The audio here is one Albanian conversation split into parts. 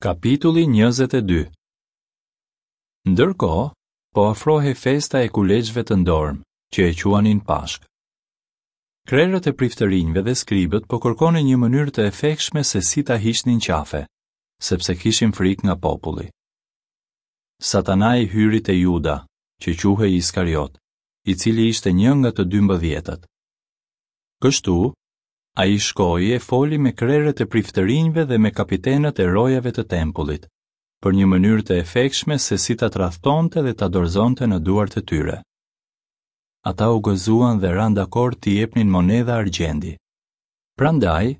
Kapitulli 22 Ndërkohë, po afrohej festa e kuleçve të ndormë, që e quanin Pashkë. Krerët e priftërinjve dhe skribët po kërkonin një mënyrë të efektshme se si ta hiqnin qafe, sepse kishin frikë nga populli. Satanai hyri te Juda, që quhej Iskariot, i cili ishte një nga të dymbëdhjetët. Kështu, ai shkoi e foli me krerët e priftërinjve dhe me kapitenët e rojave të tempullit, për një mënyrë të efektshme se si ta tradhtonte dhe ta dorëzonte në duart e tyre. Ata u gëzuan dhe ranë dakord t'i jepnin monedha argjendi. Prandaj,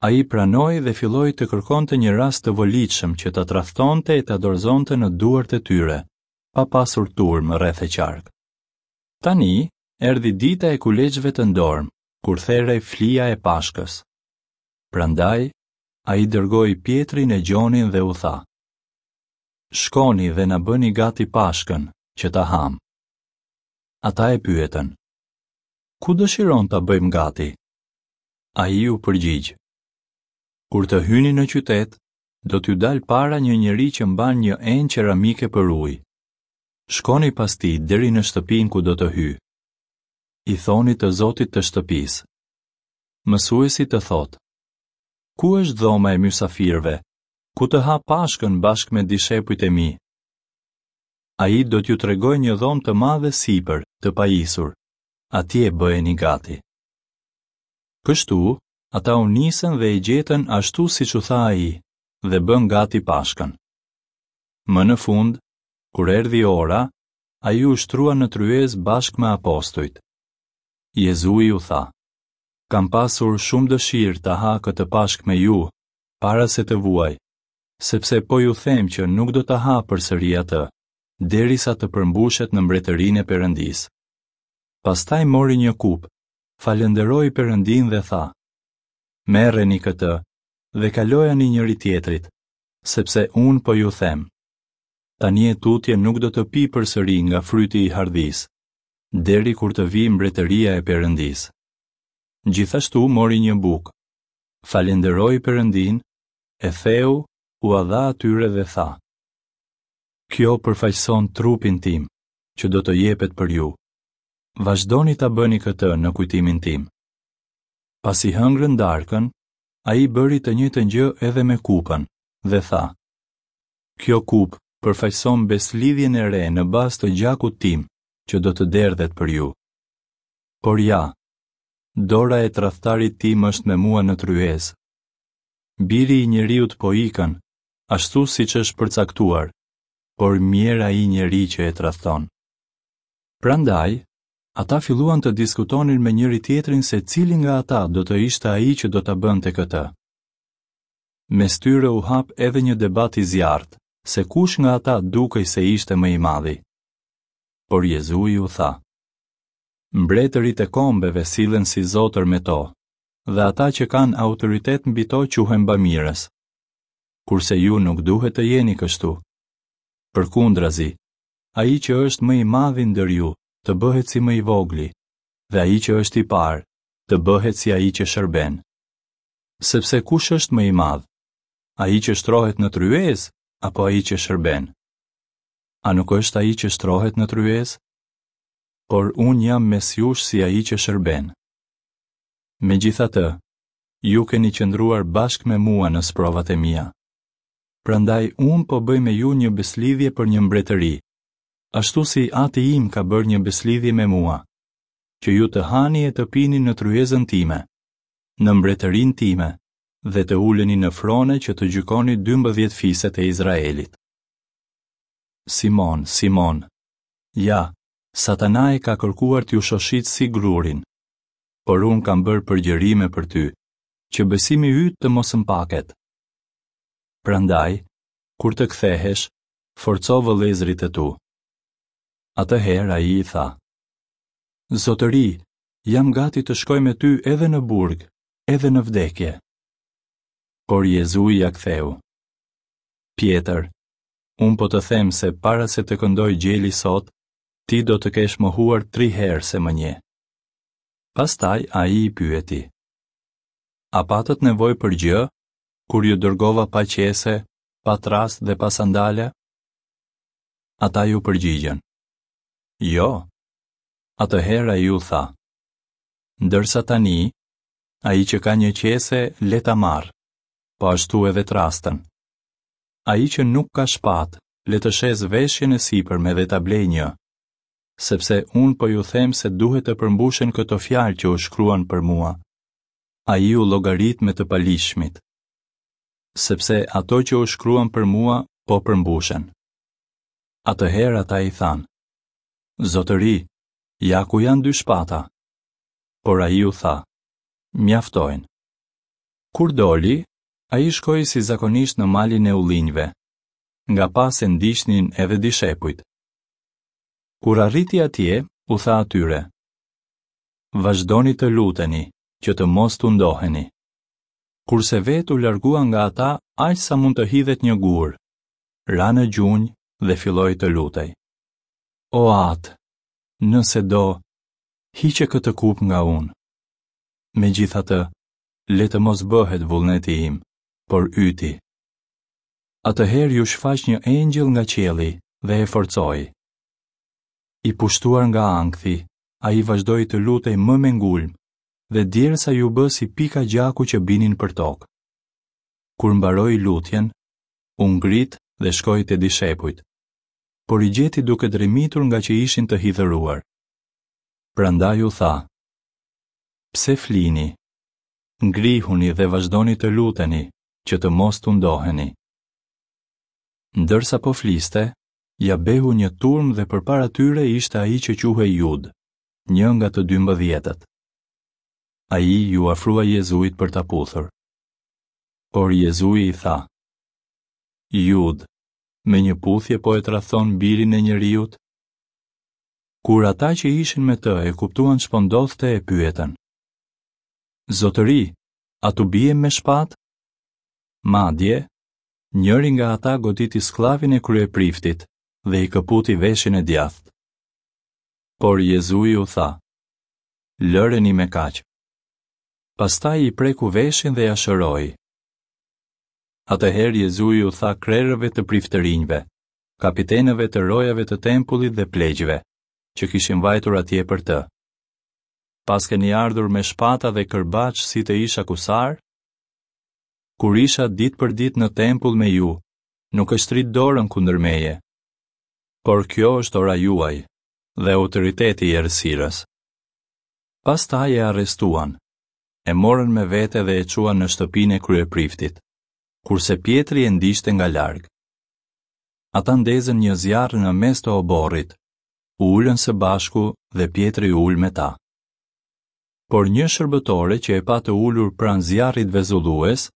ai pranoi dhe filloi të kërkonte një rast të volitshëm që ta tradhtonte e ta dorëzonte në duart e tyre, pa pasur turmë rreth e qark. Tani, erdhi dita e kuleçve të ndormë, kur therej flia e Pashkës. Prandaj, ai dërgoi Pjetrin e Gjonin dhe u tha: Shkoni dhe na bëni gati Pashkën, që ta hamë. Ata e pyetën: Ku dëshiron ta bëjmë gati? Ai u përgjigj: Kur të hyni në qytet, do t'ju dalë para një njeri që mban një enë qeramike për ujë. Shkoni pas tij deri në shtëpinë ku do të hyjë. I thoni të zotit të shtëpisë. Mësuesi të thotë: Ku është dhoma e mysafirëve, ku të ha Pashkën bashkë me dishepujt e mi? Ai do t'ju tregojë një dhomë të madhe sipër, të pajisur. Atje bëjeni gati. Kështu, ata u nisën dhe e gjetën ashtu siç u tha ai, dhe bënë gati Pashkën. Më në fund, kur erdhi ora, ai u shtrua në tryezë bashkë me apostujt. Jezui u tha: Kam pasur shumë dëshirë ta ha këtë Pashkë me ju, para se të vuaj, sepse po ju them që nuk do ta ha përsëri atë, derisa të përmbushet në mbretërinë e Perëndisë. Pastaj mori një kupë, falënderoi Perëndinë dhe tha: Merreni këtë dhe kalojani njëri-tjetrit, sepse unë po ju them, Tani e tutje nuk do të pi përsëri nga fryti i hardhisë, deri kur të vijë mbretëria e Perëndisë. Gjithashtu mori një bukë, falënderoi Perëndinë, e theu, ua dha atyre dhe tha: Kjo përfaqëson trupin tim, që do të jepet për ju. Vazhdoni ta bëni këtë në kujtimin tim. Pasi hëngrën darkën, ai bëri të njëjtën gjë edhe me kupën dhe tha: Kjo kupë përfaqëson besëlidhjen e re në bazë të gjakut tim, që do të derdhet për ju. Por ja, dora e tradhtarit tim është me mua në tryezë. Biri i njeriut po ikën, ashtu siç është përcaktuar, por mjerë ai njeri që e tradhton. Prandaj, ata filluan të diskutonin me njëri-tjetrin se cili nga ata do të ishte ai që do ta bënte këtë. Mes tyre u hap edhe një debat i zjarrtë, se kush nga ata dukej se ishte më i madhi. Por Jezui u tha: Mbretërit e kombeve sillen si zotër me to, dhe ata që kanë autoritet mbi to quhen bamirës. Kurse ju nuk duhet të jeni kështu. Përkundrazi, ai që është më i madhi ndër ju, të bëhet si më i vogli, dhe ai që është i parë, të bëhet si ai që shërben. Sepse kush është më i madh? Ai që shtrohet në tryezë apo ai që shërben? A nuk është ai që shtrohet në tryezë? Por unë jam mes jush si ai që shërben. Megjithatë, ju keni qëndruar bashkë me mua në sprovat e mia. Prandaj unë po bëj me ju një besëlidhje për një mbretëri, ashtu si Ati im ka bërë një besëlidhje me mua, që ju të hani e të pini në tryezën time, në mbretërinë time dhe të uleni në frone që të gjykoni 12 fiset e Izraelit. Simon, Simon, ja, Satanai ka kërkuar t'ju shoshitë si grurin, por unë kam bërë përgjërime për ty, që besimi yt të mos mpaket. Prandaj, kur të kthehesh, forco vëllezërit e tu. Atëherë ai i tha: Zotëri, jam gati të shkoj me ty edhe në burg, edhe në vdekje. Por Jezui ia ktheu. Pjetër, unë po të them se para se të këndojë gjeli sot, ti do të kesh mohuar tri herë se më njeh. Pastaj ai i pyeti. A patët nevojë për gjë, kur ju dërgova pa qese, pa trastë dhe pa sandale? Ata iu përgjigjën. Jo. Atëherë ai u tha. Ndërsa tani, ai që ka një qese, le ta marrë, po ashtu edhe trastën. Ai që nuk ka shpatë, le të shesë veshjen e sipërme dhe ta blejë një. Sepse unë po ju them se duhet të përmbushen këto fjalë që u shkruan për mua. Ai u llogarit me të paligjshmit. Sepse ato që u shkruan për mua po përmbushen. Atëherë ata i thanë: Zotëri, ja ku janë dy shpata. Por ai u tha: Mjaftojnë. Kur doli, ai shkoi si zakonisht në malin e ullinjve. Nga pas e ndiqnin edhe dishepujt. Kur arriti atje, u tha atyre: Vazhdoni të luteni, që të mos tundoheni. Kurse vetë u largua nga ata aq sa mund të hidhet një gur, ra në gjunjë dhe filloi të lutej. O Atë, nëse do, hiqe këtë kupë nga unë. Megjithatë, le të mos bëhet vullneti im, por yti. Atëherë iu shfaq një engjëll nga qielli dhe e forcoi. I pushtuar nga ankthi, ai vazhdoi të lutej më me ngulm dhe djersa iu bë si pika gjaku që binin përtokë. Kur mbaroi lutjen, u ngrit dhe shkoi te dishepujt, por i gjeti duke dremitur ngaqë ishin të hidhëruar. Prandaj u tha: Pse flini? Ngrihuni dhe vazhdoni të luteni, që të mos tundoheni. Ndërsa po fliste, ia behu një turmë dhe përpara tyre ishte ai që quhej Judë, një nga të dymbëdhjetët. Ai iu afrua Jezuit për ta puthur. Por Jezui i tha: Judë, me një puthje po e tradhton birin e njeriut? Kur ata që ishin me të e kuptuan ç'po ndodhte e pyetën. Zotëri, a t'u biem me shpatë? Madje, njëri nga ata goditi skllavin e kryepriftit dhe i këputi veshin e djathtë. Por Jezui u tha, Lëreni me kaq. Pastaj i preku veshin dhe ia shëroi. Atëherë Jezui u tha krerëve të priftërinjve, kapitenëve të rojave të tempullit dhe pleqve, që kishin vajtur atje për të. Paskeni ardhur me shpata dhe kërbaç si të isha kusar? Kur isha ditë për ditë në tempull me ju, nuk e shtritë dorën kundër meje. Por kjo është ora juaj dhe autoriteti i errësirës. Pastaj e arrestuan, e morën me vete dhe e çuan në shtëpinë e kryepriftit, kurse Pjetri e ndiqte nga larg. Ata ndezën një zjarr në mes të oborrit, u ulën së bashku dhe Pjetri u ul me ta. Por një shërbëtore që e pa të ulur pranë zjarrit vezullues,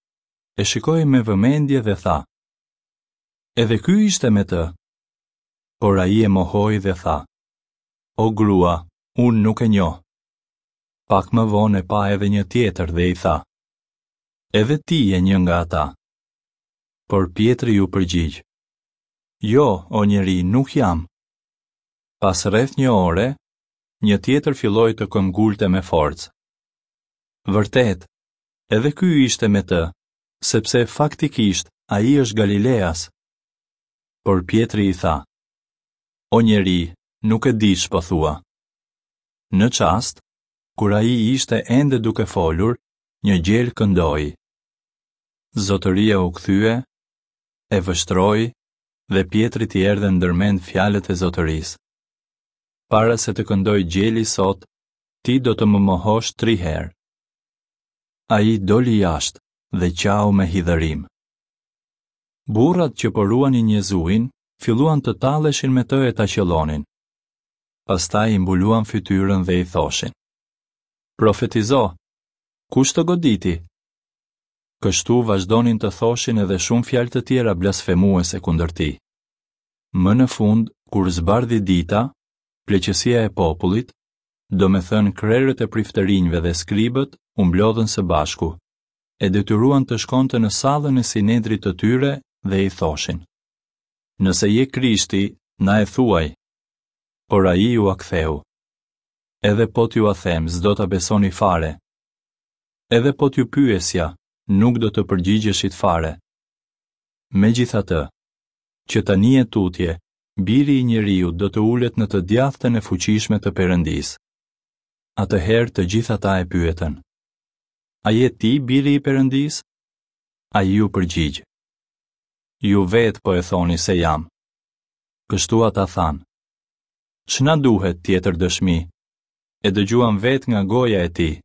e shikoi me vëmendje dhe tha: Edhe ky ishte me të. Por ai e mohoi dhe tha: O grua, unë nuk e njoh. Pak më vonë e pa edhe një tjetër dhe i tha: Edhe ti je një nga ata. Por Pjetri iu përgjigj: Jo, o njeri, nuk jam. Pas rreth një ore, një tjetër filloi të këmbëngulte me forcë. Vërtet, edhe ky ishte me të, sepse faktikisht ai është Galileas. Por Pjetri i tha: O njeri, nuk e di ç'po thua. Në çast, kur ai ishte ende duke folur, një gjel këndoi. Zotëria u kthye, e vështroi dhe Pjetrit i erdhën ndër mend fjalët e zotërisë. Para se të këndojë gjeli sot, ti do të më mohosh tri herë. Ai doli jashtë dhe qau me hidhërim. Burrat që po ruanin Jezuin filluan të talleshin me të e ta qëllonin. Pastaj i mbuluan fytyrën dhe i thoshin: Profetizo, kush të goditi? Kështu vazhdonin të thoshin edhe shumë fjalë të tjera blasfemuese kundër tij. Më në fund, kur zbardhi dita, pleqësia e popullit, domethënë krerët e priftërinjve dhe skribët, u mblodhën së bashku, e detyruan të shkonte në sallën e sinedrit të tyre dhe i thoshin: Nëse je Krishti, na e thuaj. Por ai ua ktheu. Edhe po t'jua them, s'do ta besoni fare. Edhe po t'ju pyesja, nuk do të përgjigjeshit fare. Megjithatë, që tani e tutje, Biri i njeriut do të ulet në të djathtën e fuqishme të Perëndisë. Atëherë të gjithë ata e pyetën: A je ti Biri i Perëndisë? Ai iu përgjigj: Ju vetë po e thoni se jam. Kështu ata thanë: Ç'na duhet tjetër dëshmi? E dëgjuam vetë nga goja e tij.